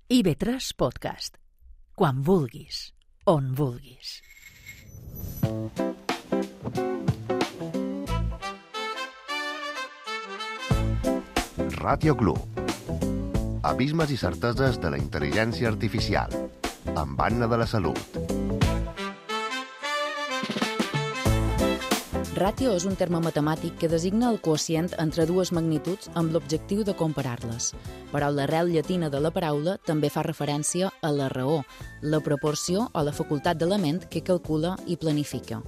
IB3 Podcast. Quan vulguis, on vulguis. Ràdio Club. Abismes i certeses de la intel·ligència artificial. Amb Anna de la Salut. Ràtio és un terme matemàtic que designa el quocient entre dues magnituds amb l'objectiu de comparar-les. Però l'arrel llatina de la paraula també fa referència a la raó, la proporció o la facultat de la ment que calcula i planifica.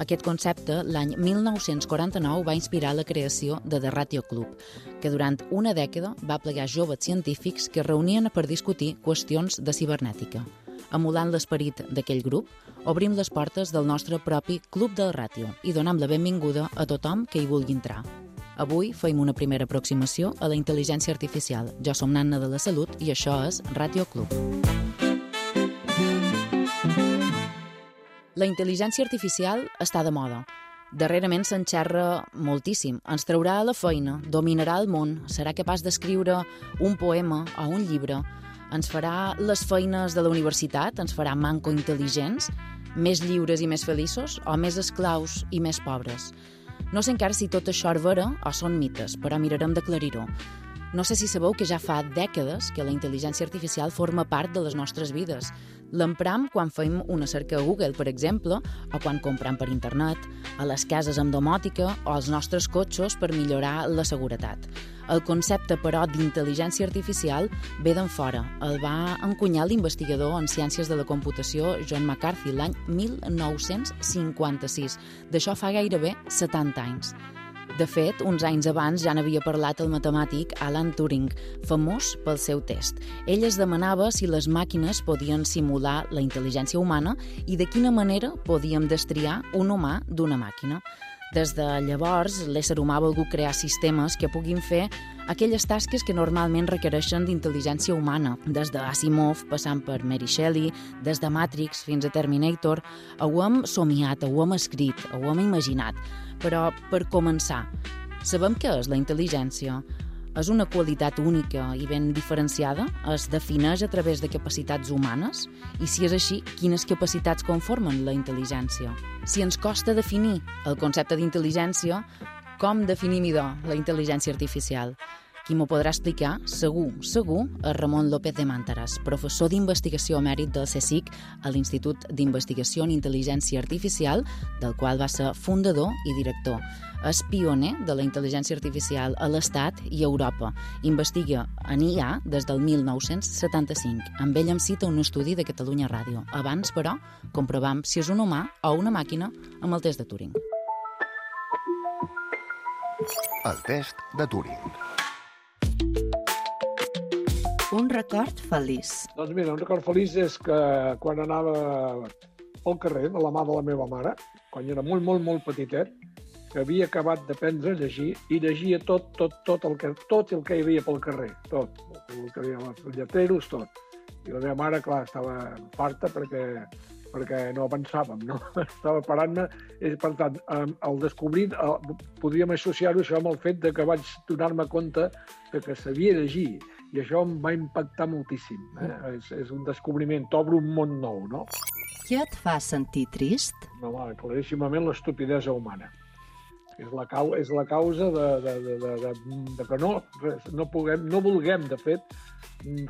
Aquest concepte, l'any 1949, va inspirar la creació de The Ratio Club, que durant una dècada va plegar joves científics que es reunien per discutir qüestions de cibernètica. Emulant l'esperit d'aquell grup, obrim les portes del nostre propi Club del Ràtio i donem la benvinguda a tothom que hi vulgui entrar. Avui fem una primera aproximació a la intel·ligència artificial. Jo som Anna de la Salut i això és Ràtio Club. La intel·ligència artificial està de moda. Darrerament se'n xerra moltíssim. Ens traurà a la feina, dominarà el món, serà capaç d'escriure un poema o un llibre, ens farà les feines de la universitat, ens farà manco intel·ligents, més lliures i més feliços, o més esclaus i més pobres. No sé encara si tot això és vera o són mites, però mirarem d'aclarir-ho. No sé si sabeu que ja fa dècades que la intel·ligència artificial forma part de les nostres vides. L'empram quan fem una cerca a Google, per exemple, o quan compram per internet, a les cases amb domòtica o als nostres cotxes per millorar la seguretat. El concepte, però, d'intel·ligència artificial ve d'en fora. El va encunyar l'investigador en ciències de la computació John McCarthy l'any 1956. D'això fa gairebé 70 anys. De fet, uns anys abans ja n'havia parlat el matemàtic Alan Turing, famós pel seu test. Ell es demanava si les màquines podien simular la intel·ligència humana i de quina manera podíem destriar un humà d'una màquina. Des de llavors, l'ésser humà ha volgut crear sistemes que puguin fer aquelles tasques que normalment requereixen d'intel·ligència humana, des d'Asimov, passant per Mary Shelley, des de Matrix fins a Terminator. Ho hem somiat, ho hem escrit, ho hem imaginat. Però, per començar, sabem què és la intel·ligència? És una qualitat única i ben diferenciada? Es defineix a través de capacitats humanes? I si és així, quines capacitats conformen la intel·ligència? Si ens costa definir el concepte d'intel·ligència, com definim idò la intel·ligència artificial? Qui m'ho podrà explicar, segur, és Ramon López de Màntaras, professor d'investigació emèrit del CSIC a l'Institut d'Investigació en Intel·ligència Artificial, del qual va ser fundador i director. És pioner de la intel·ligència artificial a l'Estat i a Europa. Investiga en IA des del 1975. Amb ell em cita un estudi de Catalunya Ràdio. Abans, però, comprovam si és un humà o una màquina amb el test de Turing. El test de Turing. Un record feliç. Doncs mira, un record feliç és que quan anava pel carrer de la mà de la meva mare, quan era molt petitet, que havia acabat d'aprendre a llegir i llegia tot el que hi havia pel carrer, tot, el que hi havia els lletreros, tot. I la meva mare, clar, estava farta perquè no avançàvem, no? Estava parant-me, i per tant, al descobrir, podríem associar-ho això amb el fet de que vaig donar-me compte que sabia llegir. I això em va impactar moltíssim. És un descobriment, t'obre un món nou, no? Què et fa sentir trist? No, claríssimament l'estupidesa humana. És la causa de que no vulguem, de fet,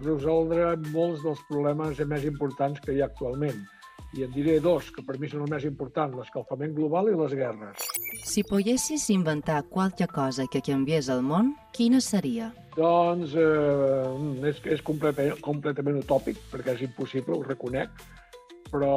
resoldre molts dels problemes més importants que hi ha actualment. I en diré dos, que per mi són els més importants, l'escalfament global i les guerres. Si poguessis inventar qualque cosa que canviés el món, quina seria? Doncs és completament utòpic, perquè és impossible, ho reconec, però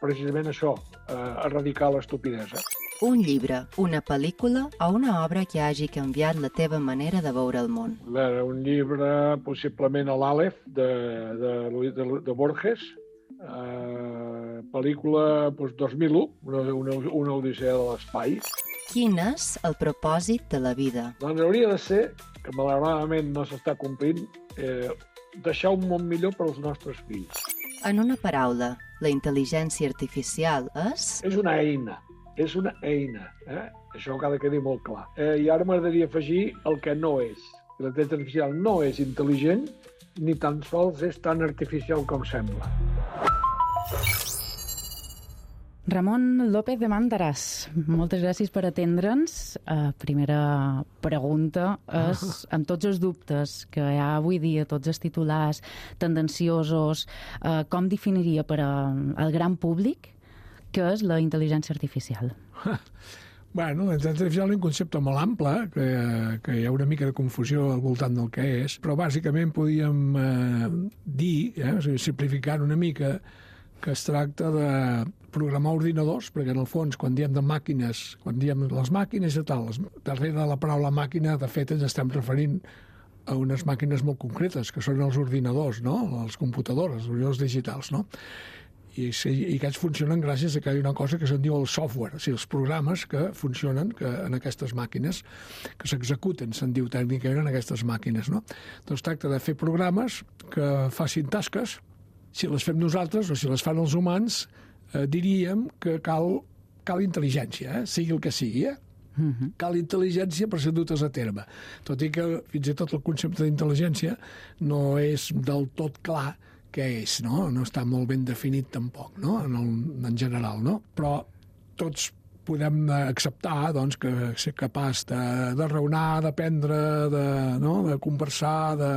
precisament això, erradicar l'estupidesa. Un llibre, una pel·lícula o una obra que hagi canviat la teva manera de veure el món? Un llibre, possiblement l'Àlef, de Borges, pel·lícula 2001, una odissea de l'espai. Quin és el propòsit de la vida? Doncs hauria de ser, que malauradament no s'està complint, deixar un món millor per als nostres fills. En una paraula, la intel·ligència artificial és? És una eina. Això ha de quedar molt clar. I ara m'agradaria afegir el que no és. La intel·ligència artificial no és intel·ligent ni tan sols és tan artificial com sembla. Ramon López de Màndaras, moltes gràcies per atendre'ns. Primera pregunta és, amb tots els dubtes que hi ha avui dia, tots els titulars tendenciosos, com definiria per al gran públic què és la intel·ligència artificial? Bueno, la intel·ligència artificial és un concepte molt ample, que hi ha una mica de confusió al voltant del que és, però bàsicament podíem dir, simplificant una mica, que es tracta de programar ordinadors, perquè en el fons, quan diem de màquines, quan diem les màquines i tal, darrere de la paraula màquina, de fet, ens estem referint a unes màquines molt concretes, que són els ordinadors, no? Les computadores, els ordinadors digitals, no? I aquests funcionen gràcies a que hi ha una cosa que se'n diu el software, o sigui, els programes que funcionen en aquestes màquines, que s'executen, se'n diu tècnicament, en aquestes màquines, no? Doncs tracta de fer programes que facin tasques. Si les fem nosaltres o si les fan els humans, diríem que cal intel·ligència, sigui el que sigui, Cal intel·ligència per ser dutes a terme. Tot i que fins i tot el concepte d'intel·ligència no és del tot clar què és, no? No està molt ben definit tampoc, no? En general, no? Però tots podem acceptar doncs, que ser capaç de raonar, d'aprendre, de conversar, de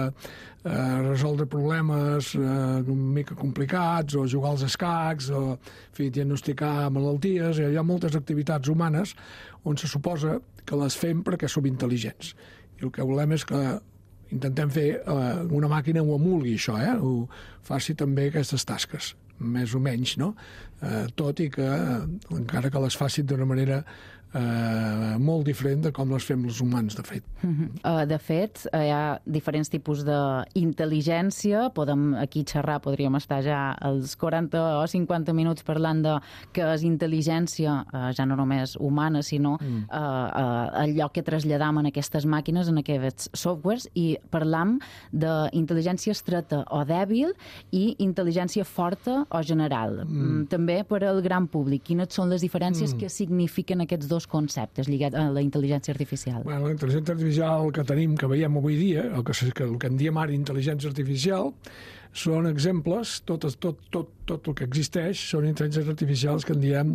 resoldre problemes una mica complicats, o jugar als escacs, o diagnosticar malalties. Hi ha moltes activitats humanes on se suposa que les fem perquè som intel·ligents. I el que volem és que intentem fer una màquina ho emulgui això, ho faci també aquestes tasques, més o menys, no? Tot i que, encara que les facin d'una manera molt diferent de com les fem els humans, de fet. De fet, hi ha diferents tipus d'intel·ligència. Podem aquí xerrar, podríem estar ja els 40 o 50 minuts parlant de què és intel·ligència, ja no només humana, sinó allò que traslladam en aquestes màquines, en aquests softwares, i parlam d'intel·ligència estreta o dèbil i intel·ligència forta o general. També per al gran públic, quines són les diferències que signifiquen aquests dos conceptes lligats a la intel·ligència artificial? Bueno, la intel·ligència artificial que tenim, que veiem avui dia, el que en diem ara intel·ligència artificial, són exemples, tot el que existeix són intel·ligències artificials que en diem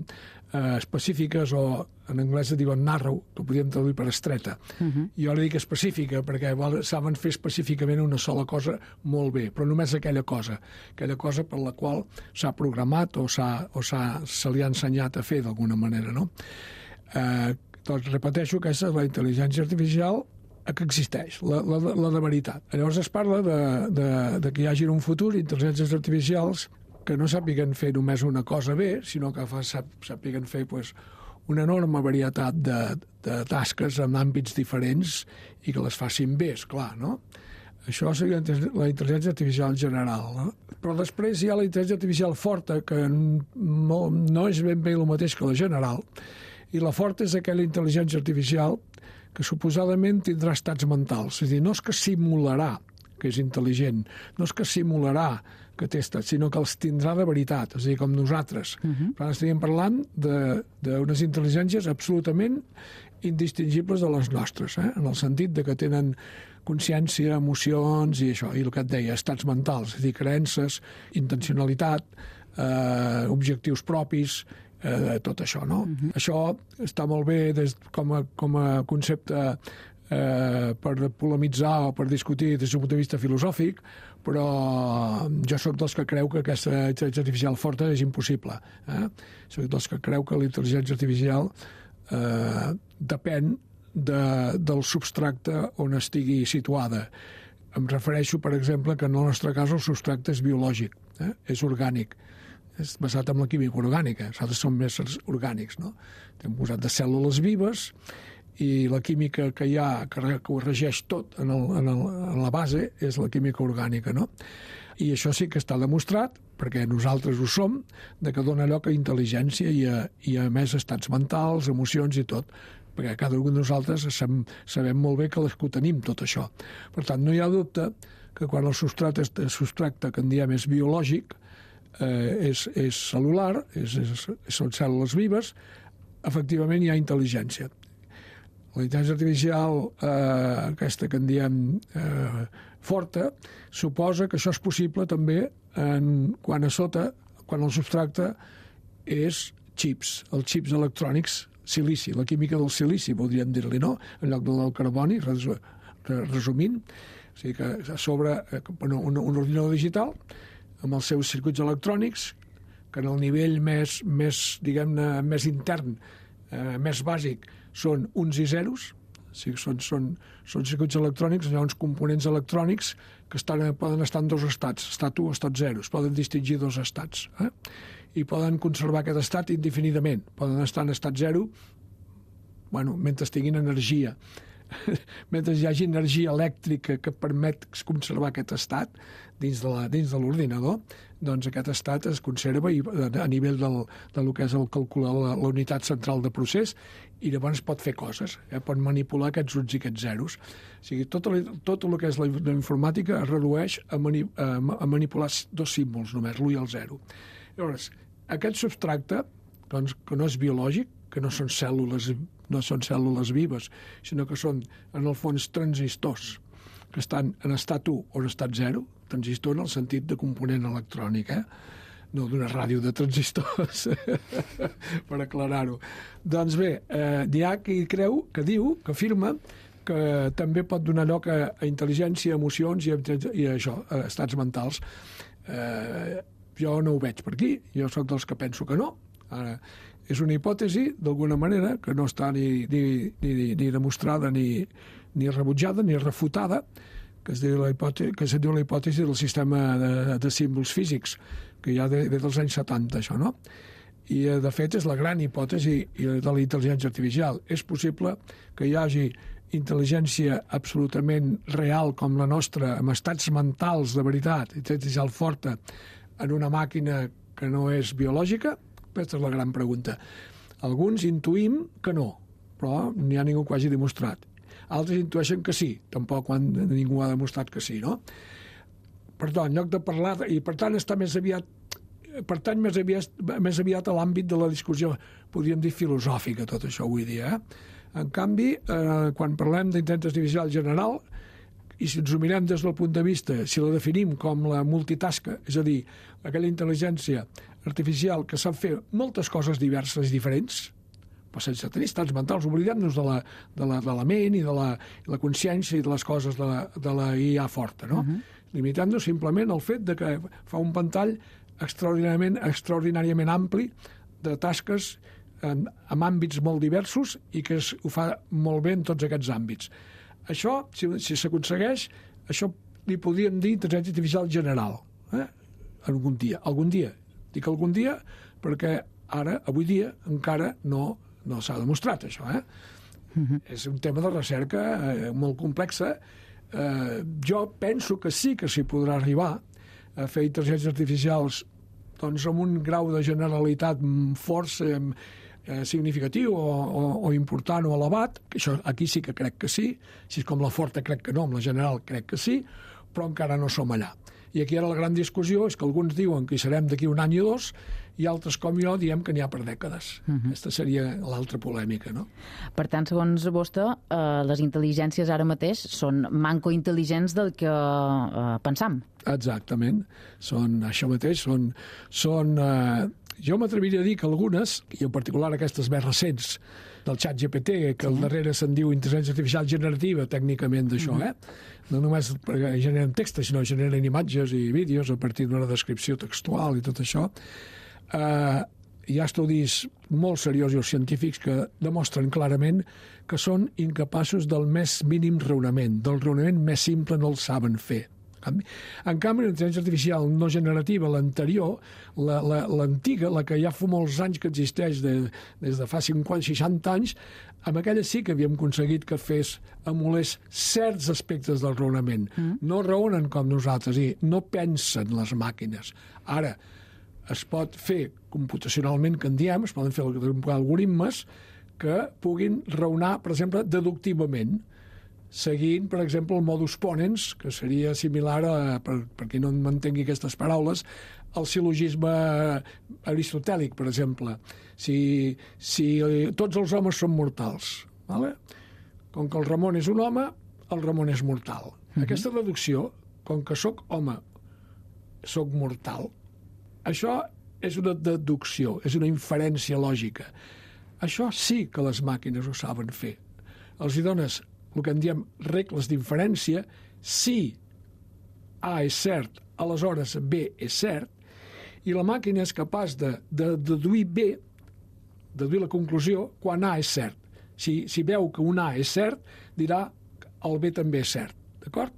específiques, o en anglès se diuen narrow, que ho podríem traduir per estreta. Jo li dic específica perquè saben fer específicament una sola cosa molt bé, però només aquella cosa per la qual s'ha programat o se li ha ensenyat a fer d'alguna manera, no? Doncs repeteixo que aquesta és la intel·ligència artificial que existeix, la de veritat. Llavors es parla de que hi hagi en un futur intel·ligències artificials que no sàpiguen fer només una cosa bé, sinó que sàpiguen fer una enorme varietat de tasques en àmbits diferents i que les facin bé, esclar, no? Això seria la intel·ligència artificial en general, no? Però després hi ha la intel·ligència artificial forta, que no és ben bé el mateix que la general, i la forta és aquella intel·ligència artificial que suposadament tindrà estats mentals. És a dir, no és que simularà que és intel·ligent, no és que simularà que té estats, sinó que els tindrà de veritat, és a dir, com nosaltres. Però ara estaríem parlant d'unes intel·ligències absolutament indistingibles de les nostres, en el sentit de que tenen consciència, emocions i això, i el que et deia, estats mentals, és a dir, creences, intencionalitat, objectius propis, tot això, no? Això està molt bé com a concepte per polemitzar o per discutir des d'un punt de vista filosòfic, però jo soc dels que creu que aquesta intel·ligència artificial forta és impossible. Soc dels que creu que la intel·ligència artificial depèn del substracte on estigui situada. Em refereixo, per exemple, que en el nostre cas el substracte és biològic, és orgànic, és basat en la química orgànica. Nosaltres som éssers orgànics, no? Hem posat de cèl·lules vives i la química que hi ha, que ho regeix tot en la base, és la química orgànica, no? I això sí que està demostrat, perquè nosaltres ho som, de que dona lloc a intel·ligència i a més estats mentals, emocions i tot, perquè cada un de nosaltres sabem molt bé que ho tenim, tot això. Per tant, no hi ha dubte que quan el substracte que en diem és biològic, és cel·lular, són cèl·lules vives, efectivament hi ha intel·ligència. La intel·ligència artificial, aquesta que en diem forta, suposa que això és possible també quan a sota, quan el substracte és xips, els xips electrònics, silici, la química del silici, podríem dir-li, no? En lloc del carboni, resumint. O sigui que a sobre un ordinador digital amb els seus circuits electrònics, que en el nivell més diguem-ne, més intern, més bàsic, són uns i zeros. O sigui, són circuits electrònics, hi ha uns components electrònics que poden estar en dos estats, estat 1 o estat 0, es poden distingir dos estats. I poden conservar aquest estat indefinidament. Poden estar en estat 0 mentre tinguin energia. Mentre hi hagi energia elèctrica que permet conservar aquest estat dins de l'ordinador, doncs aquest estat es conserva a nivell del que és el calcular la unitat central de procés, i llavors pot fer coses, pot manipular aquests uns i aquests zeros. O sigui, tot el que és la informàtica es redueix a manipular dos símbols només, l'1 i el 0. Llavors, aquest substracte, doncs, que no és biològic, que no són cèl·lules vives, sinó que són, en el fons, transistors, que estan en estat 1 o en estat 0, transistor en el sentit de component electrònic, no d'una ràdio de transistors, per aclarar-ho. Doncs bé, hi ha qui creu, que afirma que també pot donar lloc a intel·ligència, emocions i això, a estats mentals. Jo no ho veig per aquí, jo sóc dels que penso que no. Ara, és una hipòtesi, d'alguna manera, que no està ni demostrada, ni rebutjada, ni refutada, que es diu la hipòtesi del sistema de símbols físics, que ja ve dels anys 70, això, no? I, de fet, és la gran hipòtesi de la intel·ligència artificial. És possible que hi hagi intel·ligència absolutament real com la nostra, amb estats mentals de veritat, intel·ligència forta, en una màquina que no és biològica? Aquesta és la gran pregunta. Alguns intuïm que no, però n'hi ha ningú que ho hagi demostrat. Altres intueixen que sí, tampoc ningú ha demostrat que sí, no? Perdó, en lloc de parlar... I per tant està més aviat a l'àmbit de la discussió, podríem dir filosòfica, tot això avui dia. En canvi, quan parlem d'intel·ligència artificial general, i si ens ho mirem des del punt de vista, si la definim com la multitasca, és a dir, aquella intel·ligència artificial que sap fer moltes coses diverses i diferents, però sense tenir estats mentals, oblidem-nos de la ment i de la consciència i de les coses de la IA forta, no? Limitant-nos simplement al fet de que fa un ventall extraordinàriament ampli de tasques en àmbits molt diversos i que ho fa molt bé en tots aquests àmbits. Això, si s'aconsegueix, això li podríem dir intel·ligència artificial general. Algun dia. Dic algun dia perquè avui dia, encara no s'ha demostrat, això. És un tema de recerca molt complexa. Jo penso que sí que s'hi podrà arribar a fer intel·ligències artificials doncs, amb un grau de generalitat força significatiu o important o elevat, que això aquí sí que crec que sí, si és com la forta crec que no, amb la general crec que sí, però encara no som allà. I aquí ara la gran discussió és que alguns diuen que hi serem d'aquí un any o dos i altres com jo diem que n'hi ha per dècades. Aquesta seria l'altra polèmica, no? Per tant, segons vostè, les intel·ligències ara mateix són manco intel·ligents del que pensam. Exactament. Són això mateix. Jo m'atreviria a dir que algunes, i en particular aquestes més recents, del xat GPT, que al darrere se'n diu intel·ligència artificial generativa, tècnicament d'això, no només perquè generen textos, sinó generen imatges i vídeos a partir d'una descripció textual i tot això. Hi ha estudis molt seriosos científics que demostren clarament que són incapaços del més mínim raonament. Del raonament més simple no el saben fer. En canvi, la intel·ligència artificial no generativa, l'anterior, l'antiga, la que ja fa molts anys que existeix, des de fa 50-60 anys, amb aquella sí que havíem aconseguit que emulés certs aspectes del raonament. No raonen com nosaltres i no pensen les màquines. Ara, es pot fer computacionalment, que en diem, es poden fer algoritmes que puguin raonar, per exemple, deductivament, seguint, per exemple, el modus ponens, que seria similar a, per qui no m'entengui aquestes paraules, al sil·logisme aristotèlic, per exemple. Si tots els homes són mortals, ¿vale? com que el Ramon és un home, el Ramon és mortal. Aquesta reducció, com que sóc home, sóc mortal, això és una deducció, és una inferència lògica. Això sí que les màquines ho saben fer. Els hi dones el que en diem regles d'inferència. Si A és cert, aleshores B és cert, i la màquina és capaç de deduir B, deduir la conclusió, quan A és cert. Si veu que un A és cert, dirà el B també és cert. D'acord?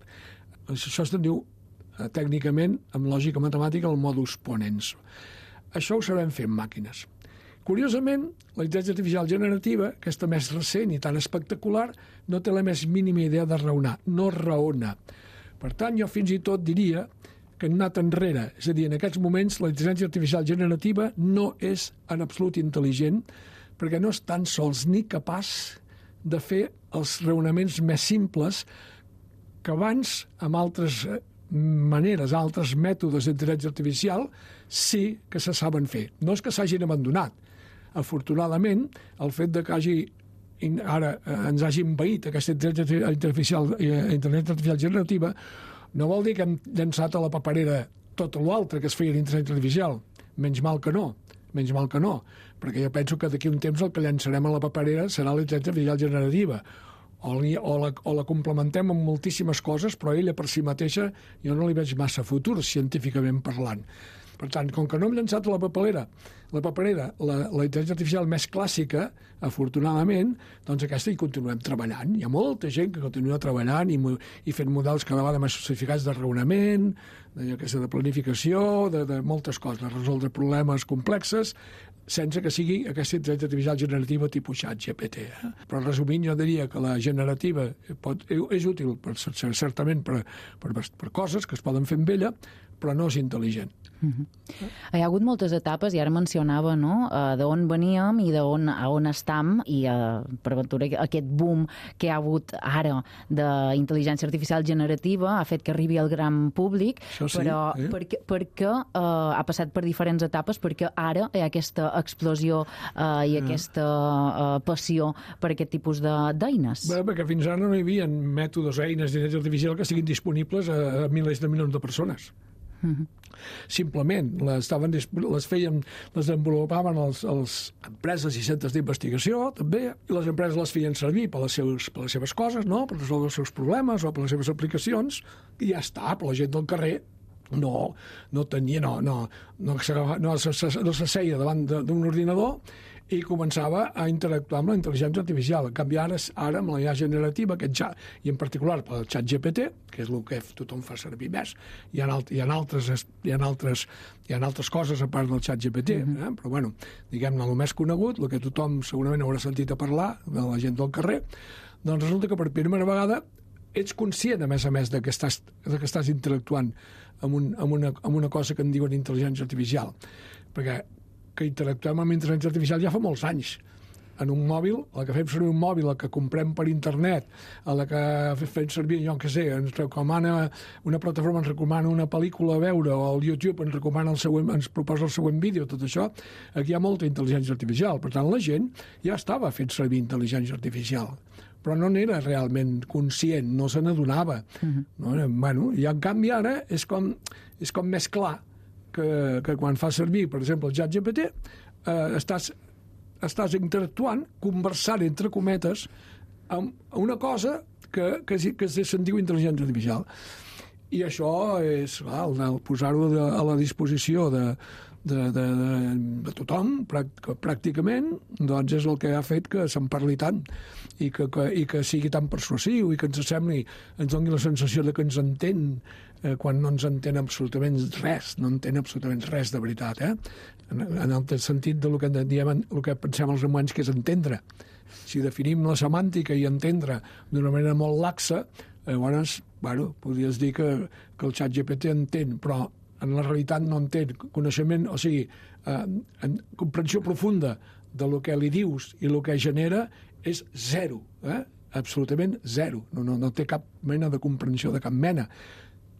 Això es diu tècnicament, amb lògica matemàtica, el modus ponens. Això ho sabem fer amb màquines. Curiosament, la intel·ligència artificial generativa, aquesta més recent i tan espectacular, no té la més mínima idea de raonar, no raona. Per tant, jo fins i tot diria que hem anat enrere. És a dir, en aquests moments la intel·ligència artificial generativa no és en absolut intel·ligent perquè no és tan sols ni capaç de fer els raonaments més simples que abans, amb altres maneres, altres mètodes d'intel·ligència artificial, sí que se saben fer. No és que s'hagin abandonat. Afortunadament, el fet de que ara ens hagi envaït aquesta intel·ligència artificial generativa no vol dir que hem llançat a la paperera tot l'altre que es feia d'intel·ligència artificial. Menys mal que no, perquè jo penso que d'aquí un temps el que llançarem a la paperera serà la intel·ligència artificial generativa. O la complementem amb moltíssimes coses, però ella per si mateixa jo no li veig massa futur, científicament parlant. Per tant, com que no hem llançat a la paperera la intel·ligència artificial més clàssica, afortunadament, doncs aquesta hi continuem treballant. Hi ha molta gent que continua treballant i fent models cada vegada més sofisticats de raonament, de planificació, de moltes coses, de resoldre problemes complexes, sense que sigui aquesta intel·ligència artificial generativa tipus ChatGPT. Però resumint, jo diria que la generativa és útil certament per coses que es poden fer amb ella, però no és intel·ligent. Hi ha hagut moltes etapes, i ara mencionava d'on veníem i a on estam, i per aventura aquest boom que hi ha hagut ara d'intel·ligència artificial generativa ha fet que arribi al gran públic, però perquè ha passat per diferents etapes, perquè ara hi ha aquesta explosió i aquesta passió per aquest tipus d'eines. Bé, perquè fins ara no hi havia mètodes, eines d'intel·ligència artificial que siguin disponibles a milers de milions de persones. Simplement les desenvolupaven les empreses i centres d'investigació també, i les empreses les feien servir per les seves coses, no? Per resoldre els seus problemes o per les seves aplicacions, i ja està. Per la gent del carrer no s'asseia davant d'un ordinador i començava a interactuar amb la intel·ligència artificial. En canvi, ara amb la IA generativa, i en particular pel ChatGPT, que és el que tothom fa servir més, hi ha altres coses a part del ChatGPT, però bueno, diguem-ne, el més conegut, el que tothom segurament haurà sentit a parlar, de la gent del carrer, doncs resulta que per primera vegada ets conscient, a més, de que estàs interactuant amb una cosa que en diuen intel·ligència artificial. Perquè que interactuem amb intel·ligència artificial ja fa molts anys. En un mòbil, la que fem servir un mòbil, la que comprem per internet, la que fem servir, jo què sé, ens recomana una plataforma, ens recomana una pel·lícula a veure, o el YouTube ens proposa el següent vídeo, tot això, aquí hi ha molta intel·ligència artificial. Per tant, la gent ja estava fent servir intel·ligència artificial, però no n'era realment conscient, no se n'adonava. I en canvi ara és com més clar que quan fa servir, per exemple, el ChatGPT, estàs interactuant, conversant, entre cometes, amb una cosa que se'n diu intel·ligència artificial. I això és posar-ho a la disposició de tothom, pràcticament, doncs és el que ha fet que se'n parli tant i que sigui tan persuasiu i que ens doni la sensació de que ens entén quan no ens entén absolutament res, no entén absolutament res de veritat, en el sentit del que diem, el que pensem els humans, que és entendre. Si definim la semàntica i entendre d'una manera molt laxa, llavors, podries dir que el ChatGPT entén, però en la realitat no entén coneixement, o sigui, comprensió profunda de lo que li dius i el que genera és zero, absolutament zero. No té cap mena de comprensió de cap mena.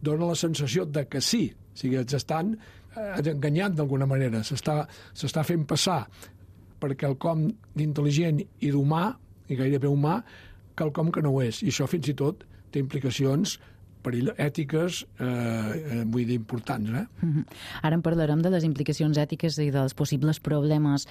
Dóna la sensació de que sí, o sigui, ens estan enganyant d'alguna manera, s'està fent passar per quelcom d'intel·ligent i d'humà, i gairebé humà, quelcom que no ho és. I això fins i tot té implicacions ètiques, vull dir, importants. Ara en parlarem de les implicacions ètiques i dels possibles problemes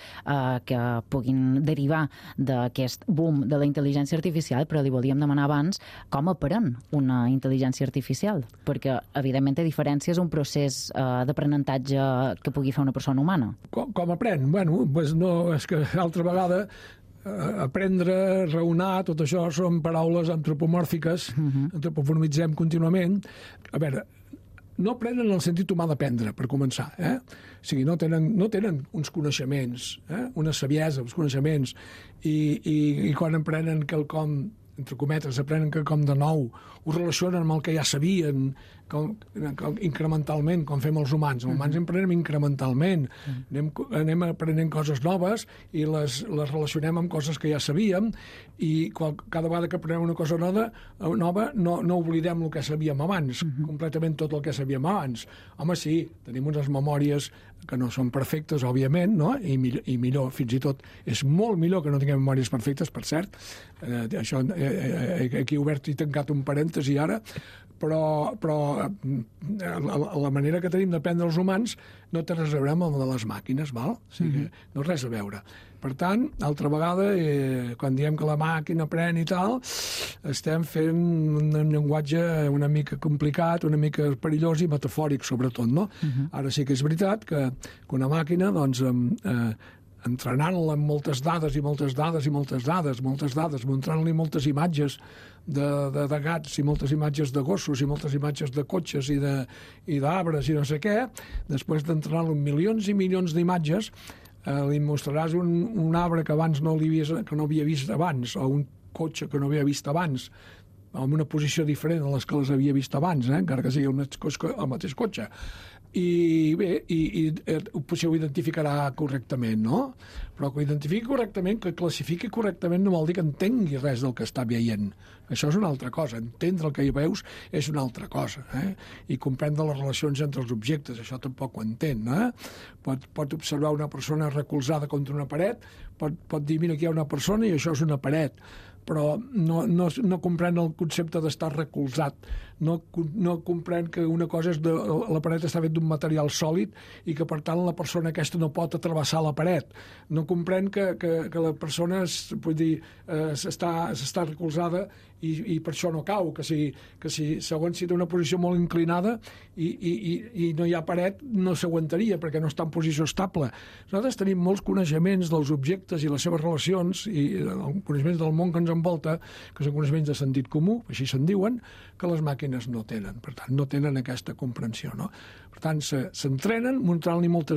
que puguin derivar d'aquest boom de la intel·ligència artificial, però li volíem demanar abans com aprèn una intel·ligència artificial, perquè, evidentment, té diferències un procés d'aprenentatge que pugui fer una persona humana. Com aprèn? Bueno, doncs no, és que altra vegada aprendre, raonar, tot això són paraules antropomòrfiques, antropomorfitzem contínuament. A veure, no aprenen en el sentit humà d'aprendre, per començar. O sigui, no tenen uns coneixements, una saviesa, uns coneixements, i quan aprenen quelcom, entre cometes, aprenen quelcom de nou, ho relacionen amb el que ja sabien, incrementalment, com fem els humans. Els humans aprenem incrementalment. Anem aprenent coses noves i les relacionem amb coses que ja sabíem, i cada vegada que aprenem una cosa nova no oblidem el que sabíem abans, completament tot el que sabíem abans. Home, sí, tenim unes memòries que no són perfectes, òbviament, no? I millor, fins i tot és molt millor que no tinguem memòries perfectes, per cert. Això, aquí he obert i tancat un parèntesi ara, però la manera que tenim d'aprendre els humans no té res a veure amb el de les màquines, val? O sigui, no res a veure. Per tant, altra vegada, quan diem que la màquina aprèn i tal, estem fent un llenguatge una mica complicat, una mica perillós i metafòric, sobretot, no? Ara sí que és veritat que una màquina, doncs, entrenant-la amb moltes dades, mostrant-li moltes imatges de gats i moltes imatges de gossos i moltes imatges de cotxes i d'arbres i no sé què, després d'entrenar-lo amb milions i milions d'imatges, li mostraràs un arbre que abans no havia vist abans, o un cotxe que no havia vist abans, en una posició diferent a les que les havia vist abans, encara que sigui el mateix cotxe. I bé, potser ho identificarà correctament, no? Però que ho identifiqui correctament, que classifiqui correctament, no vol dir que entengui res del que està veient. Això és una altra cosa. Entendre el que hi veus és una altra cosa. I comprendre les relacions entre els objectes, això tampoc ho entén. Pot observar una persona recolzada contra una paret, pot dir, mira, aquí hi ha una persona i això és una paret, però no comprèn el concepte d'estar recolzat, no comprèn que una cosa és la paret està feta d'un material sòlid i que per tant la persona aquesta no pot travessar la paret, no comprèn que la persona està recolzada i per això no cau, que si segons si té una posició molt inclinada i no hi ha paret no s'aguantaria perquè no està en posició estable. Nosaltres tenim molts coneixements dels objectes i les seves relacions i coneixements del món que ens envolta, que són coneixements de sentit comú, així se'n diuen, que les màquines no tenen. Per tant, no tenen aquesta comprensió, no? Per tant, s'entrenen mostrant-li molta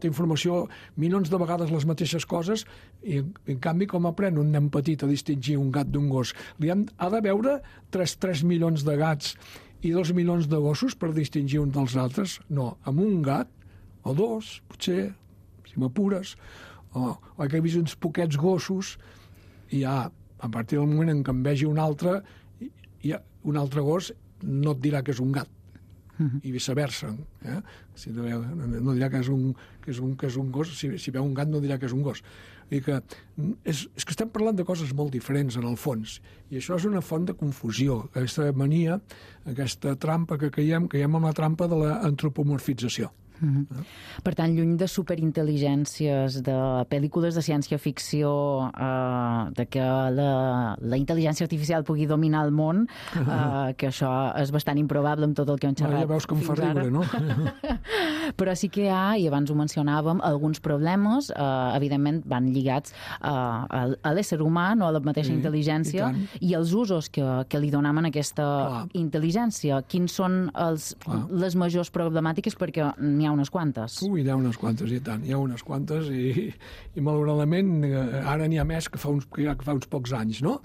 informació, milions de vegades les mateixes coses, i en canvi, com aprèn un nen petit a distingir un gat d'un gos? Ha de veure 3 milions de gats i 2 milions de gossos per distingir un dels altres? No, amb un gat, o 2, potser, si m'apures, o que he vist uns poquets gossos, i ja, a partir del moment en què en vegi un altre gos no et dirà que és un gat, i viceversa. No dirà que és un gos, si veu un gat no dirà que és un gos. És que estem parlant de coses molt diferents en el fons, i això és una font de confusió, aquesta mania, aquesta trampa que caiem en la trampa de l'antropomorfització. Per tant, lluny de superintel·ligències, de pel·lícules de ciència-ficció, de que la intel·ligència artificial pugui dominar el món, que això és bastant improbable amb tot el que hem xerrat. Ja veus que em fa riure, no? Però sí que hi ha, i abans ho mencionàvem, alguns problemes, evidentment van lligats a l'ésser humà, no a la mateixa intel·ligència, i els usos que li donem a aquesta intel·ligència. Quins són les majors problemàtiques? Perquè n'hi ha unes quantes. Hi ha unes quantes, i tant. Hi ha unes quantes, i malauradament ara n'hi ha més que fa uns pocs anys, no?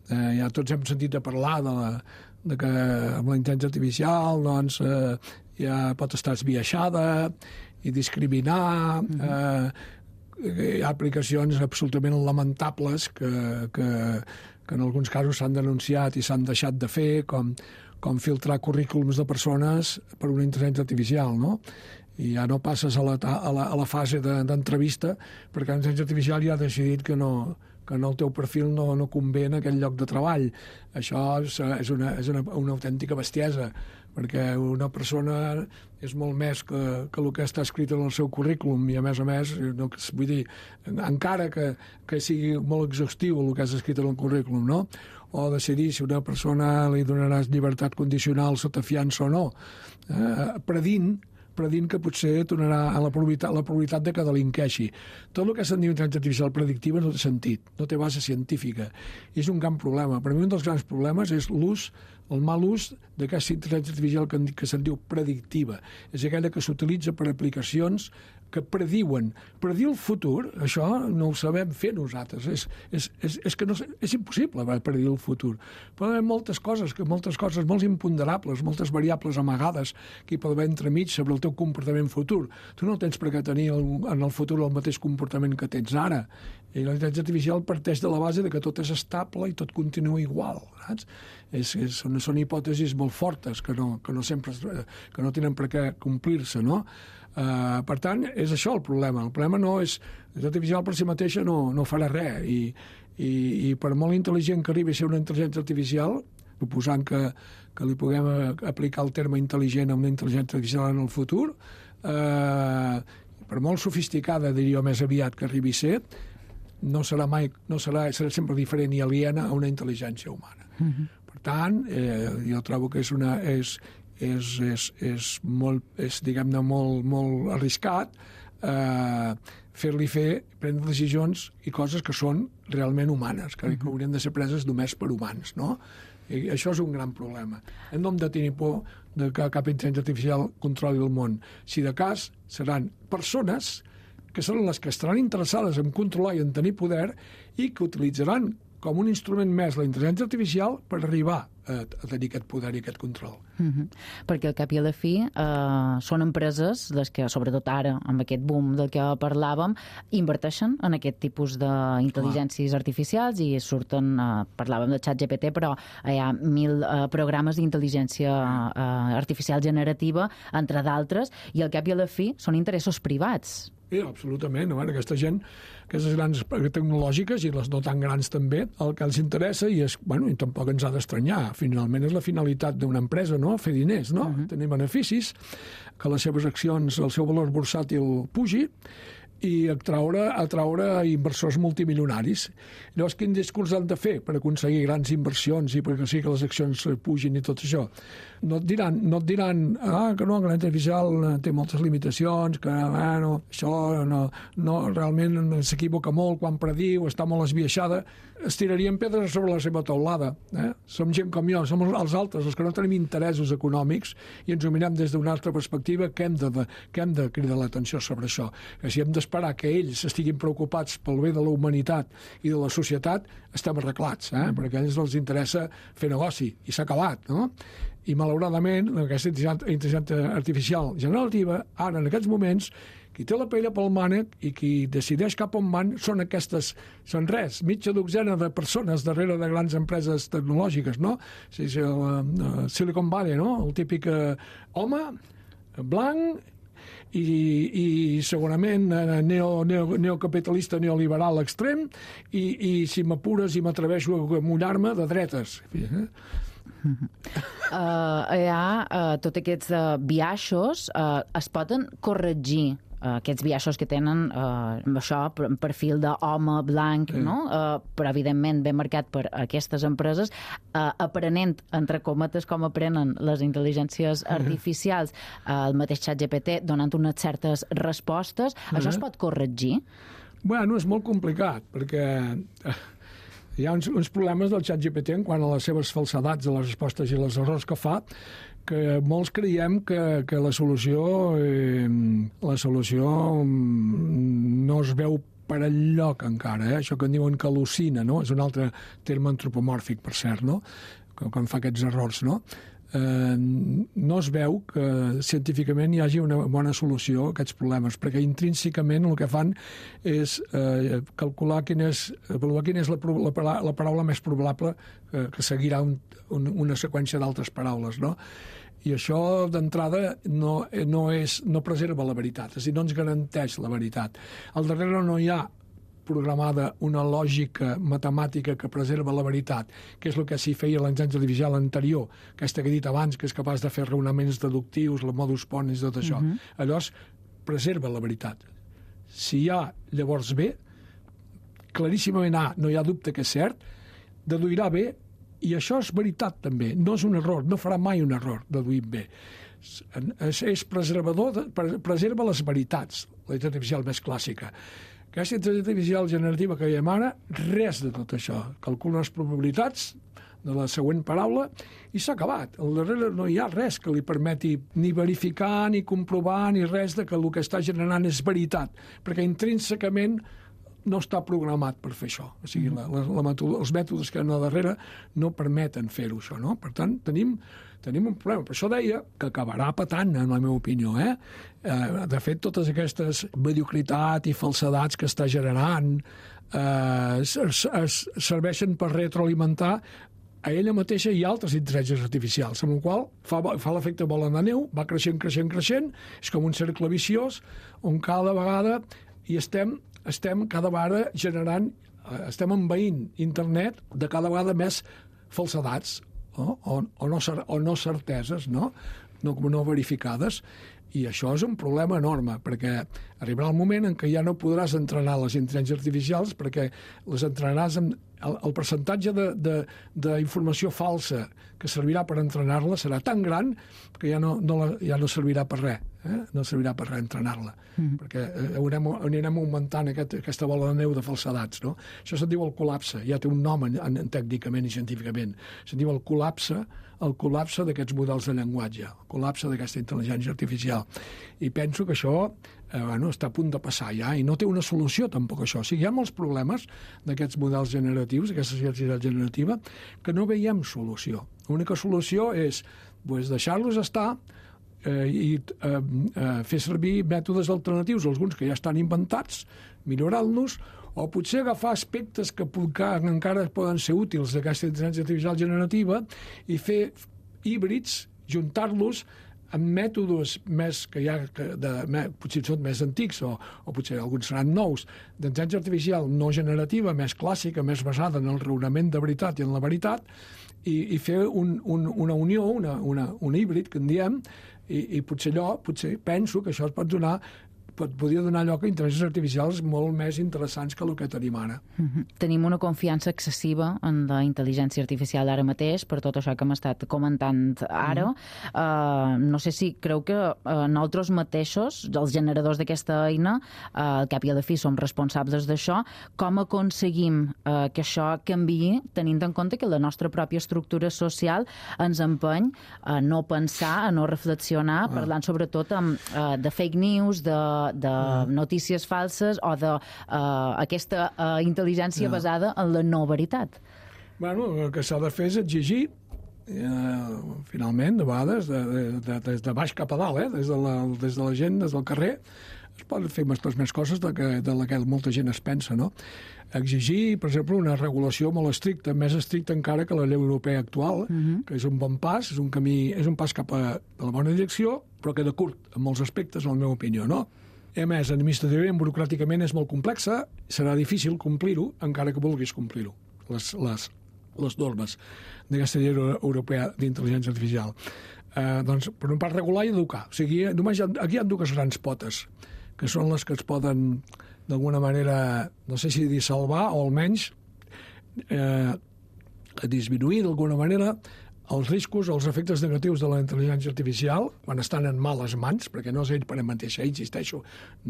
Ja tots hem sentit a parlar de que amb la intel·ligència artificial doncs ja pot estar esbiaixada i discriminar. Hi ha aplicacions absolutament lamentables que en alguns casos s'han denunciat i s'han deixat de fer, com filtrar currículums de persones per una intel·ligència artificial, no? I ja no passes a la fase d'entrevista perquè la intel·ligència artificial ja ha decidit que no que en el teu perfil no convé en aquell lloc de treball. Això és una autèntica bestiesa, perquè una persona és molt més que el que està escrit en el seu currículum, i a més, vull dir, encara que sigui molt exhaustiu el que has escrit en el currículum, no? O decidir si una persona li donaràs llibertat condicional sota fiança o no, predint que potser tornarà a la probabilitat de que delinqueixi. Tot el que se'n diu intel·ligència artificial predictiva no té sentit, no té base científica. I és un gran problema. Per mi un dels grans problemes és el mal ús d'aquesta intel·ligència artificial que se'n diu predictiva. És aquella que s'utilitza per aplicacions que prediuen. Predir el futur, això no ho sabem fer nosaltres. És que és impossible predir el futur. Pot haver moltes coses molt imponderables, moltes variables amagades que hi pot haver entremig sobre el teu comportament futur. Tu no tens per què tenir en el futur el mateix comportament que tens ara. I la intel·ligència artificial parteix de la base de que tot és estable i tot continua igual. Saps? Són hipòtesis molt fortes que no tenen per què complir-se, no? Per tant, és això el problema. El problema no és... L'intel·ligència artificial per si mateixa no farà res, i per molt intel·ligent que arribi a ser una intel·ligència artificial, proposant que li puguem aplicar el terme intel·ligent a una intel·ligència artificial en el futur, per molt sofisticada, diria més aviat que arribi a ser, serà sempre diferent i aliena a una intel·ligència humana. Per tant, jo trobo que és molt arriscat fer-li prendre decisions i coses que són realment humanes, que haurien de ser preses només per humans, no? I això és un gran problema. No hem de tenir por de que cap intel·ligència artificial controli el món. Si de cas, seran persones que seran les que estaran interessades en controlar i en tenir poder i que utilitzaran com un instrument més la intel·ligència artificial per arribar a tenir aquest poder i aquest control. Perquè al cap i a la fi són empreses les que, sobretot ara, amb aquest boom del que parlàvem, inverteixen en aquest tipus d'intel·ligències artificials i surten, parlàvem de ChatGPT, però hi ha 1.000 programes d'intel·ligència artificial generativa, entre d'altres, i al cap i a la fi són interessos privats. Sí, absolutament. Aquesta gent, aquestes grans tecnològiques i les no tan grans també, el que els interessa, i tampoc ens ha d'estranyar, finalment és la finalitat d'una empresa, no? Fer diners, no? Tenir beneficis, que les seves accions, el seu valor bursàtil pugi, i atraure inversors multimilionaris. Llavors, quin discurs han de fer per aconseguir grans inversions i perquè sí que les accions pugin i tot això? No et diran que no, que la artificial té moltes limitacions, que això realment s'equivoca molt quan prediu, està molt esbiaixada. Es tirarien pedres sobre la seva teulada. Som gent com jo, som els altres, els que no tenim interessos econòmics i ens ho mirem des d'una altra perspectiva, que hem de cridar l'atenció sobre això. Que si hem d'esperar que ells estiguin preocupats pel bé de la humanitat i de la societat, estem arreglats, perquè a ells els interessa fer negoci, i s'ha acabat, no? I malauradament, aquesta intel·ligència artificial generativa, ara en aquests moments, qui té la paella pel mànec i qui decideix cap on van són mitja dotzena de persones darrere de grans empreses tecnològiques, no? Silicon Valley, no? El típic home blanc i segurament neocapitalista neoliberal extrem i si m'apures i m'atreveixo a mullar-me de dretes. Hi ha tots aquests biaixos, es poden corregir aquests biaixos que tenen això, perfil d'home blanc, no? Però evidentment ben marcat per aquestes empreses, aprenent, entre cometes, com aprenen les intel·ligències artificials, el mateix ChatGPT donant unes certes respostes. Això es pot corregir? Bueno, és molt complicat, perquè hi ha uns problemes del ChatGPT en quant a les seves falsedats de les respostes i els errors que fa, que molts creiem que la solució no es veu per enlloc encara. Això que en diuen que al·lucina, no? És un altre terme antropomòrfic, per cert, no? Quan fa aquests errors, no? No es veu que científicament hi hagi una bona solució a aquests problemes, perquè intrínsecament el que fan és calcular quina és la paraula més probable que seguirà una seqüència d'altres paraules, no? I això, d'entrada, no preserva la veritat, és a dir, no ens garanteix la veritat. Al darrere no hi ha programada una lògica matemàtica que preserva la veritat, que és el que s'hi feia l'intel·ligència artificial anterior, aquesta que he dit abans, que és capaç de fer raonaments deductius, el modus ponens, tot això. Llavors, preserva la veritat. Si hi ha llavors B, claríssimament A, no hi ha dubte que és cert, deduirà B, i això és veritat també, no és un error, no farà mai un error deduir B. És preservador, preserva les veritats, la intel·ligència artificial més clàssica. Aquesta intel·ligència artificial generativa que veiem ara, res de tot això. Calcula les probabilitats de la següent paraula i s'ha acabat. Al darrere no hi ha res que li permeti ni verificar, ni comprovar, ni res de que el que està generant és veritat, perquè intrínsecament no està programat per fer això. O sigui, els mètodes que hi ha darrere no permeten fer-ho, això, no? Per tant, tenim un problema. Per això deia que acabarà patant, en la meva opinió. De fet, totes aquestes mediocritat i falsedats que està generant serveixen per retroalimentar a ella mateixa i altres intel·ligències artificials, amb la qual fa l'efecte bola de neu, va creixent, és com un cercle viciós on cada vegada hi estem cada vegada generant, estem envaint internet de cada vegada més falsedats o no certeses, no verificades. I això és un problema enorme, perquè arribarà el moment en què ja no podràs entrenar les intel·ligències artificials perquè les entrenaràs amb el percentatge d'informació falsa que servirà per entrenar-la serà tan gran que ja no servirà per res. No servirà per res entrenar-la, perquè anirem augmentant aquesta bola de neu de falsedats. No? Això se'n diu el col·lapse, ja té un nom tècnicament i científicament. Se'n diu el col·lapse d'aquests models de llenguatge, el col·lapse d'aquesta intel·ligència artificial. I penso que això està a punt de passar ja, i no té una solució tampoc això. O sigui, hi ha molts problemes d'aquests models generatius, d'aquesta ciència generativa, que no veiem solució. L'única solució és deixar-los estar i fer servir mètodes alternatius, alguns que ja estan inventats, millorar-los, o potser agafar aspectes que encara poden ser útils d'aquesta intel·ligència artificial generativa i fer híbrids, juntar-los amb mètodes més potser són més antics o potser alguns seran nous, d'intel·ligència artificial no generativa, més clàssica, més basada en el raonament de veritat i en la veritat, i fer una unió, un híbrid, que en diem, i potser penso que això podria donar lloc a intel·ligències artificials molt més interessants que el que tenim ara. Tenim una confiança excessiva en la intel·ligència artificial ara mateix, per tot això que hem estat comentant ara. No sé si creu que nosaltres mateixos, els generadors d'aquesta eina, al cap i a la fi som responsables d'això. Com aconseguim que això canviï, tenint en compte que la nostra pròpia estructura social ens empeny a no pensar, a no reflexionar, parlant sobretot de fake news, de notícies falses o d'aquesta intel·ligència basada en la no veritat. Bueno, el que s'ha de fer és exigir, finalment, de vegades, des de baix cap a dalt, des de la gent, des del carrer, es poden fer més coses de la que molta gent es pensa, no? Exigir, per exemple, una regulació molt estricta, més estricta encara que la llei europea actual, que és un bon pas, és un camí, és un pas cap a la bona direcció, però queda curt en molts aspectes, en la meva opinió, no? A més, administrativament, burocràticament és molt complexa, serà difícil complir-ho, encara que vulguis complir-ho, les normes d'aquesta llei europea d'intel·ligència artificial. Doncs, per una part, regular i educar. O sigui, només aquí hi ha dues grans potes, que són les que es poden, d'alguna manera, no sé si dir salvar, o almenys disminuir, d'alguna manera, els riscos o els efectes negatius de la intel·ligència artificial quan estan en males mans, perquè no és ell per ell mateixa, insisteixo,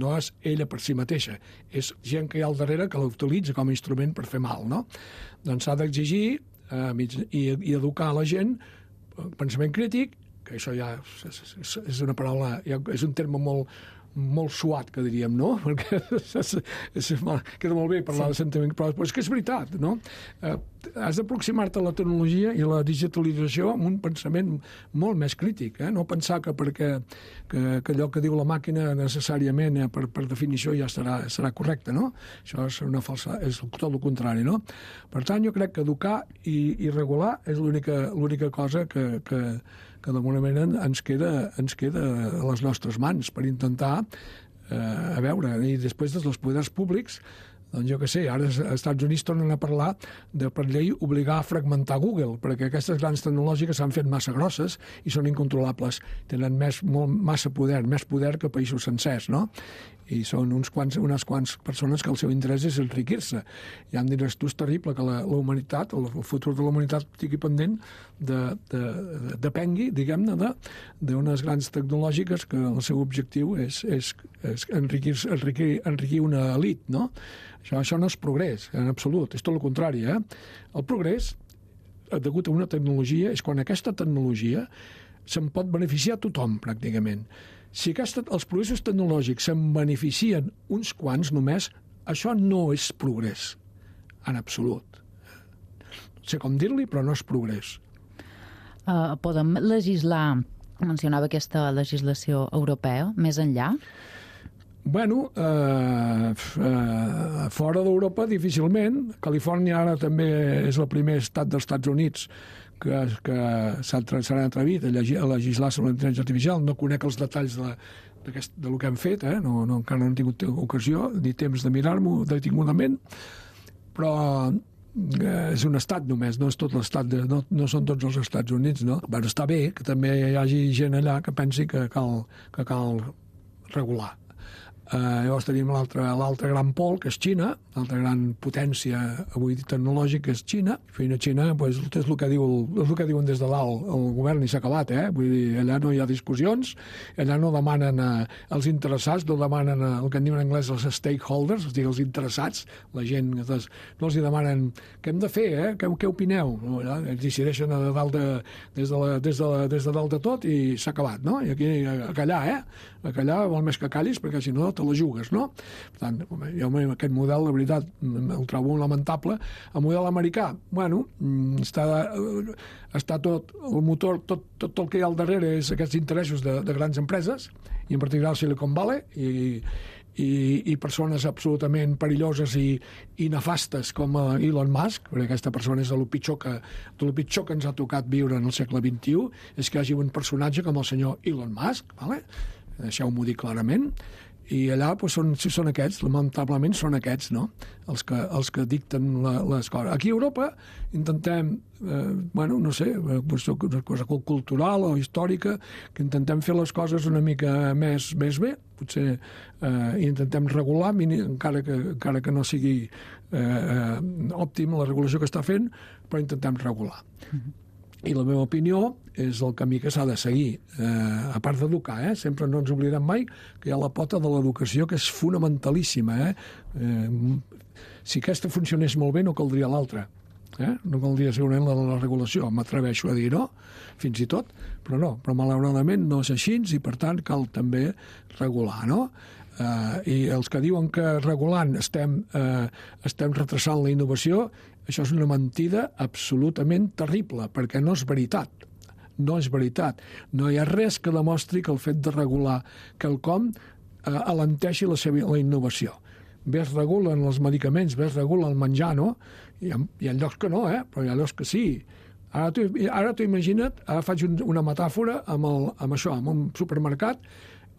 no és ella per si mateixa, és gent que hi ha al darrere que l'utilitza com a instrument per fer mal, no? Doncs s'ha d'exigir i educar la gent pensament crític, que això ja és una paraula, és un terme molt suat, que diríem, no? Perquè queda molt bé parlar de sentiment, però és que és veritat, no? Has d'aproximar-te a la tecnologia i la digitalització amb un pensament molt més crític, no pensar que perquè allò que diu la màquina necessàriament, per definició, ja serà correcte, no? Això és tot el contrari, no? Per tant, jo crec que educar i regular és l'única cosa que d'alguna manera ens queda a les nostres mans per intentar, i després dels poders públics, Doncs jo què sé, ara als Estats Units tornen a parlar de, per llei, obligar a fragmentar Google, perquè aquestes grans tecnològiques s'han fet massa grosses i són incontrolables. Tenen massa poder, més poder que països sencers, no? I són unes quants persones que el seu interès és enriquir-se. Ja em diràs tu, és terrible que la humanitat, el futur de la humanitat estigui pendent depengui, diguem-ne, d'unes grans tecnològiques que el seu objectiu és enriquir una elit, no? Això no és progrés, en absolut, és tot el contrari, eh? El progrés, degut a una tecnologia, és quan aquesta tecnologia se'n pot beneficiar tothom, pràcticament. Si els progressos tecnològics se'n beneficien uns quants només, això no és progrés, en absolut. No sé com dir-li, però no és progrés. Podem legislar, mencionava aquesta legislació europea, més enllà? Bueno, fora d'Europa difícilment. Califòrnia ara també és el primer estat dels Estats Units que s'han atrevit a legislar sobre l'intel·ligència artificial. No conec els detalls del que han fet, encara no he tingut ocasió ni temps de mirar-m'ho detingudament, però és un estat només, no és tot l'estat, no són tots els Estats Units, no? Bueno, està bé que també hi hagi gent allà que pensi que cal regular. Llavors tenim l'altre gran pol, que és Xina, l'altra gran potència avui tecnològica és Xina. Fins a Xina és el que diuen des de dalt el govern i s'ha acabat, Vull dir, allà no hi ha discussions, allà no demanen els interessats, no demanen el que en diuen en anglès els stakeholders, és a dir, els interessats, la gent, no els demanen què hem de fer, què opineu? No, ells decideixen des de dalt de tot i s'ha acabat, no? I aquí a callar vol més que callis, perquè si no te la jugues, no? Per tant, jo aquest model, la veritat, el trobo lamentable. El model americà, bueno, està tot, el motor, tot el que hi ha al darrere és aquests interessos de grans empreses, i en particular Silicon Valley, i persones absolutament perilloses i nefastes com Elon Musk, perquè aquesta persona és el pitjor que ens ha tocat viure en el segle XXI, és que hi hagi un personatge com el senyor Elon Musk, vale? Deixeu-m'ho dir clarament, i allà són aquests, lamentablement són aquests, no? Els que dicten les coses. Aquí a Europa intentem, no sé, una cosa cultural o històrica, que intentem fer les coses una mica més bé, potser intentem regular, encara que no sigui òptim la regulació que està fent, però intentem regular. I la meva opinió és el camí que s'ha de seguir. A part d'educar, sempre no ens oblidem mai que hi ha la pota de l'educació que és fonamentalíssima. Si aquesta funcionés molt bé no caldria l'altra. No caldria segurament la regulació, m'atreveixo a dir no, fins i tot, però no. Però malauradament no és així i per tant cal també regular, no? I els que diuen que regulant estem retrasant la innovació, això és una mentida absolutament terrible, perquè no és veritat. No és veritat. No hi ha res que demostri que el fet de regular quelcom alenteixi la innovació. Bé es regulen els medicaments, bé es regula el menjar, no? Hi ha llocs que no, però hi ha llocs que sí. Ara t'ho imagina't, ara faig una metàfora amb això, amb un supermercat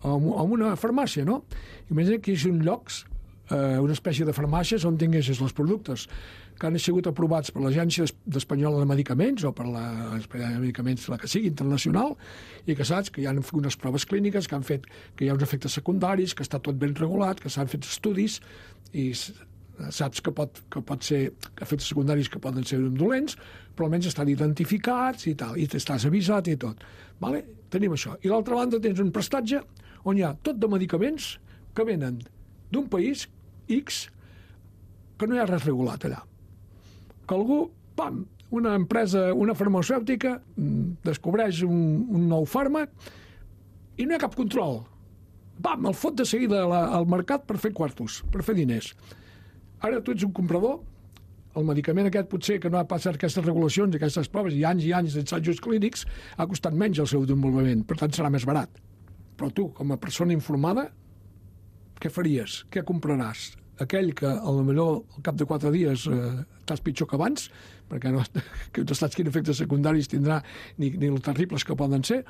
o amb una farmàcia, no? Imagina't que hi són llocs, una espècie de farmàcies on tinguessis els productes que han sigut aprovats per l'Agència Espanyola de Medicaments o per l'Agència de Medicaments, la que sigui, internacional, i que saps que hi ha unes proves clíniques que han fet que hi ha uns efectes secundaris, que està tot ben regulat, que s'han fet estudis i saps que pot ser efectes secundaris que poden ser dolents, però almenys estan identificats i tal, i t'estàs avisat i tot. Vale? Tenim això. I l'altra banda tens un prestatge on hi ha tot de medicaments que venen d'un país X que no hi ha res regulat allà. Que algú, una empresa, una farmacèutica, descobreix un nou fàrmac i no hi ha cap control. El fot de seguida al mercat per fer quartos, per fer diners. Ara tu ets un comprador, el medicament aquest potser que no ha passat aquestes regulacions, aquestes proves i anys d'ensajos clínics, ha costat menys el seu desenvolupament, per tant serà més barat. Però tu, com a persona informada, què faries? Què compraràs? Aquell que potser al cap de 4 dies estàs pitjor que abans, perquè no saps quins efectes secundaris tindrà ni els terribles que poden ser,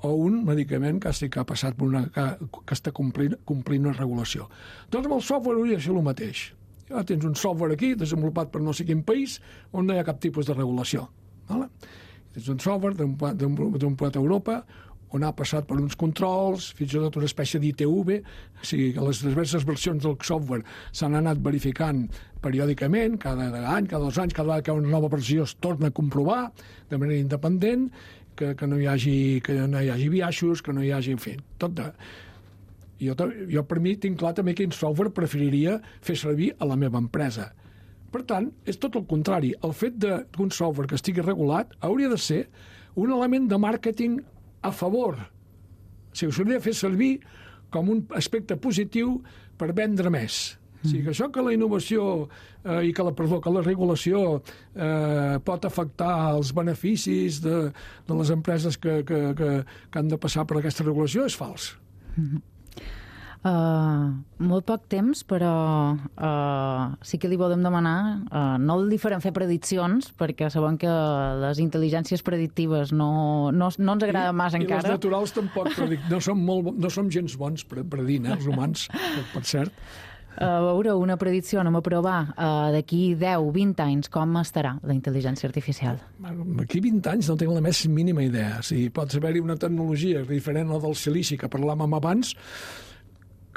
o un medicament que ha passat que està complint una regulació. Doncs amb el software hauria de ser el mateix. Ja tens un software aquí desenvolupat per no sé quin país on no hi ha cap tipus de regulació. Vale? Tens un software desenvolupat a Europa on ha passat per uns controls, fins i tot una espècie d'ITV, o sigui que les diverses versions del software s'han anat verificant periòdicament, cada any, cada 2 anys, cada vegada que hi ha una nova versió es torna a comprovar de manera independent, que no hi hagi biaixos, que no hi hagi, en fi, tot de... Jo per mi tinc clar també quin software preferiria fer servir a la meva empresa. Per tant, és tot el contrari. El fet d'un software que estigui regulat hauria de ser un element de màrqueting a favor. O sigui, s'hauria de fer servir com un aspecte positiu per vendre més. O sigui, que això que la innovació i que la regulació pot afectar els beneficis de les empreses que han de passar per aquesta regulació és fals. Molt poc temps, però sí que li volem demanar, no li farem fer prediccions, perquè sabem que les intel·ligències predictives no ens agraden massa encara. I les naturals tampoc, no som gens bons predint, els humans, per cert. A veure, una predicció, anem a provar, d'aquí 10-20 anys, com estarà la intel·ligència artificial? D'aquí 20 anys no tinc la més mínima idea. O sigui, pot haver-hi una tecnologia diferent a la del silici que parlàvem abans,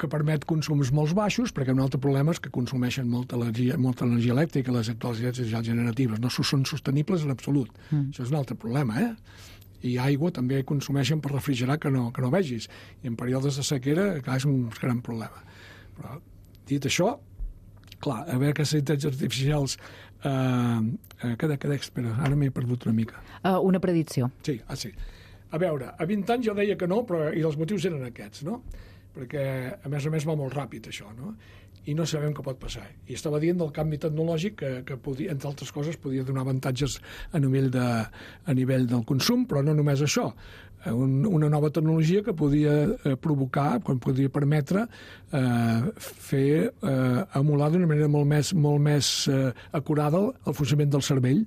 que permet consums molt baixos, perquè un altre problema és que consumeixen molta energia elèctrica, les actuals energies generatives. No són sostenibles en absolut. Això és un altre problema, I aigua també consumeixen per refrigerar que no vegis. I en períodes de sequera, clar, és un gran problema. Però, dit això, clar, a veure que les intel·ligències artificials... Espera, ara m'he perdut una mica. Una predicció. Sí. A veure, a 20 anys jo deia que no, i els motius eren aquests, no? Perquè, a més va molt ràpid, això, no? I no sabem què pot passar. I estava dient del canvi tecnològic que podia, entre altres coses, podia donar avantatges a nivell del consum, però no només això. Una nova tecnologia que podia provocar, quan podia permetre fer emular d'una manera molt més acurada el funcionament del cervell,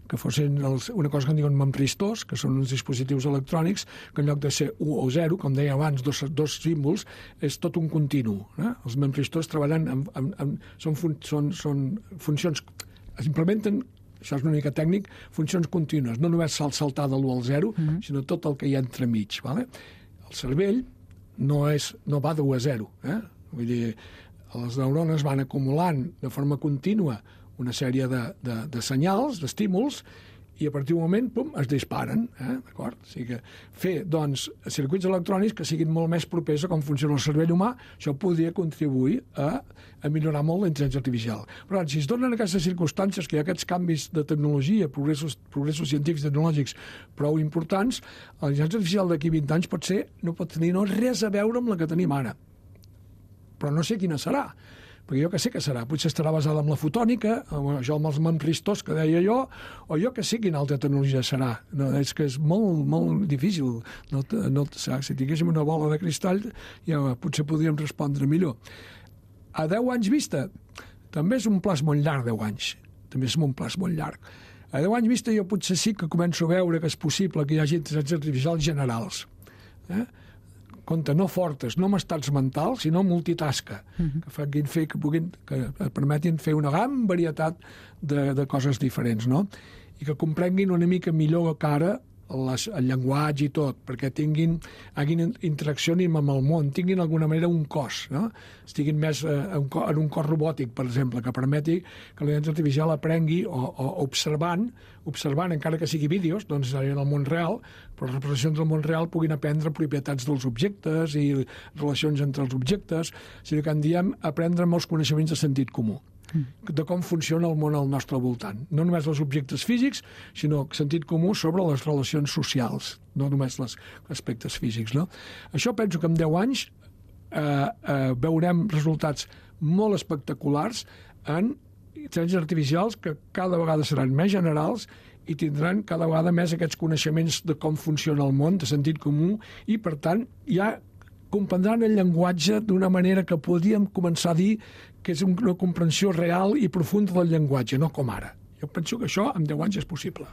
que fossin una cosa que en diuen memristors, que són uns dispositius electrònics que en lloc de ser 1 o 0, com deia abans, dos símbols, és tot un continu. Els memristors treballen són funcions, es implementen, això és una mica tècnic, funcions contínues, no només saltar de l'1 al 0, sinó tot el que hi ha entremig. Vale? El cervell no va de 1 a 0. Vull dir, les neurones van acumulant de forma contínua una sèrie de senyals, d'estímuls, i a partir d'un moment, pum, es disparen. D'acord? O sigui que fer, doncs, circuits electrònics que siguin molt més propers a com funciona el cervell humà, això podria contribuir a millorar molt la intel·ligència artificial. Però si es donen aquestes circumstàncies, que hi ha aquests canvis de tecnologia, progressos científics i tecnològics prou importants, la intel·ligència artificial d'aquí 20 anys no pot tenir res a veure amb la que tenim ara. Però no sé quina serà. Perquè jo que sé que serà. Potser estarà basada en la fotònica, això amb els memristors que deia jo, o jo que sé quina altra tecnologia serà. No, és que és molt difícil. Si tinguéssim una bola de cristall, ja potser podríem respondre millor. A 10 anys vista, també és un plaç molt llarg, 10 anys. També és un plaç molt llarg. A 10 anys vista jo potser sí que començo a veure que és possible que hi hagi intel·ligències artificials generals. Compte, no fortes, no amb estats mentals, sinó multitasca, que permetin fer una gran varietat de coses diferents, no? I que comprenguin una mica millor que ara el llenguatge i tot, perquè hagin interacció amb el món, tinguin d'alguna manera un cos, no? Estiguin més en un cos robòtic, per exemple, que permeti que la intel·ligència artificial aprengui o observant, encara que sigui vídeos, doncs en el món real, però les representacions del món real puguin aprendre propietats dels objectes i relacions entre els objectes, o sigui que en diem aprendre molts coneixements de sentit comú, de com funciona el món al nostre voltant. No només els objectes físics, sinó sentit comú sobre les relacions socials, no només els aspectes físics. No? Això penso que en 10 anys veurem resultats molt espectaculars en intel·ligències artificials que cada vegada seran més generals i tindran cada vegada més aquests coneixements de com funciona el món, de sentit comú, i per tant ja comprendran el llenguatge d'una manera que podríem començar a dir que és una comprensió real i profunda del llenguatge, no com ara. Jo penso que això en 10 anys és possible.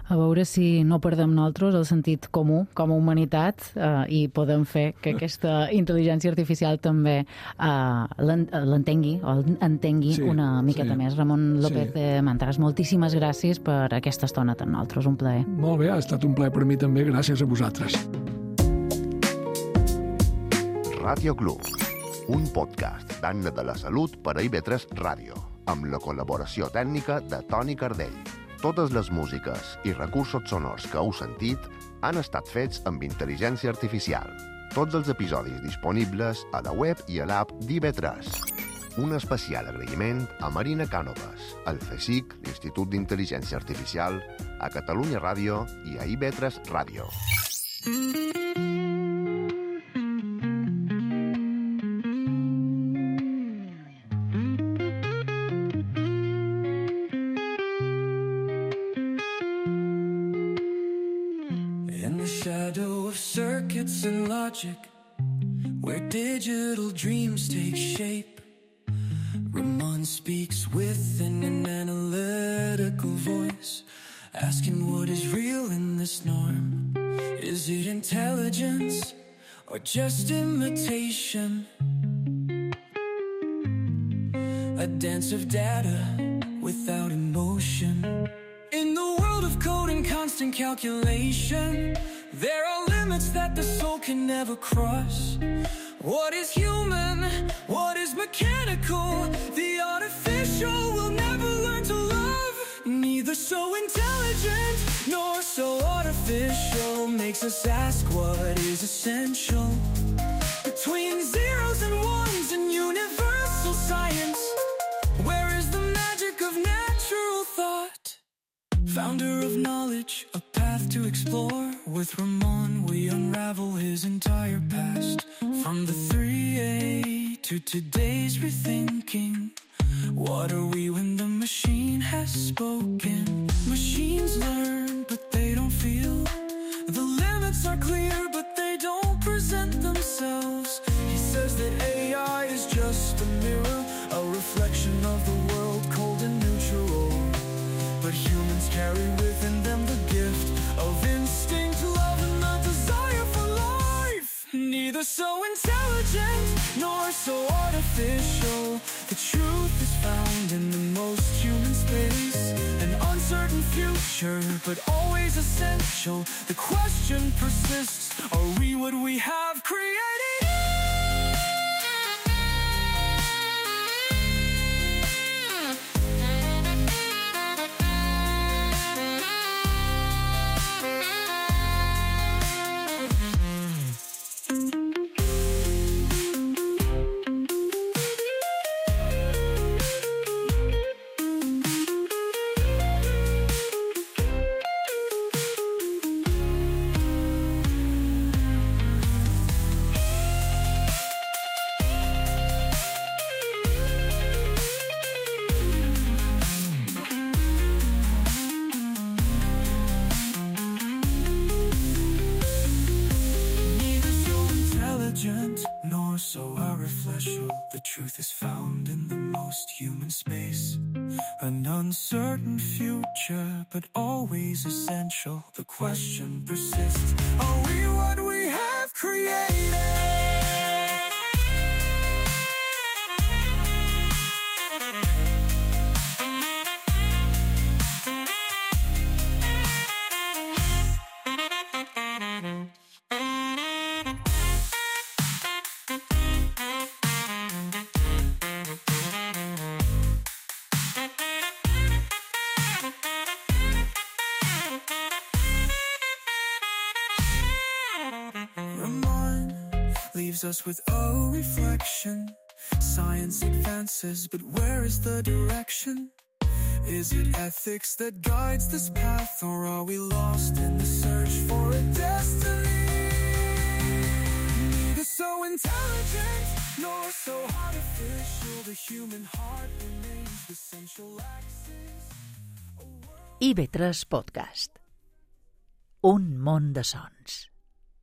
A veure si no perdem nosaltres el sentit comú com a humanitat i podem fer que aquesta intel·ligència artificial també l'entengui o entengui una miqueta més. Ramon López de Mantras, moltíssimes gràcies per aquesta estona amb nosaltres, un plaer. Molt bé, ha estat un plaer per mi també, gràcies a vosaltres. Ràdio Club, un podcast d'Anna de la Salut per a IB3 Ràdio, amb la col·laboració tècnica de Toni Cardell. Totes les músiques i recursos sonors que heu sentit han estat fets amb intel·ligència artificial. Tots els episodis disponibles a la web i a l'app d'IB3. Un especial agraïment a Marina Cànovas, al CSIC, l'Institut d'Intel·ligència Artificial, a Catalunya Ràdio i a IB3 Ràdio. And logic, where digital dreams take shape, Ramon speaks with an analytical voice, asking what is real in this norm. Is it intelligence or just imitation? A dance of data without emotion. In the world of code and constant calculation, there are limits that the soul can never cross. What is human? What is mechanical? The artificial will never learn to love. Neither so intelligent nor so artificial makes us ask what is essential. Between zeros and ones in universal science, where is the magic of natural thought? Founder of knowledge, a path to explore. With Ramon, we unravel his entire past. From the 3A to today's rethinking. What are we when the machine has spoken? Machines learn, but they don't feel. The limits are clear, but they don't present themselves. He says that AI is just a mirror, a reflection of the world cold and neutral. But humans carry within them the gift of instinct, love, and the desire for life. Neither so intelligent nor so artificial. The truth is found in the most human space. An uncertain future, but always essential. The question persists, are we what we have created? Nor so artificial. The truth is found in the most human space. An uncertain future, but always essential. The question persists, are we what we have created? Leaves us with a reflection. Science advances, but where is the direction? Is it ethics that guides this path, or are we lost in the search for a destiny? Neither so intelligent nor so artificial. The human heart remains the central axis. IB3 Podcast. Un món de sons.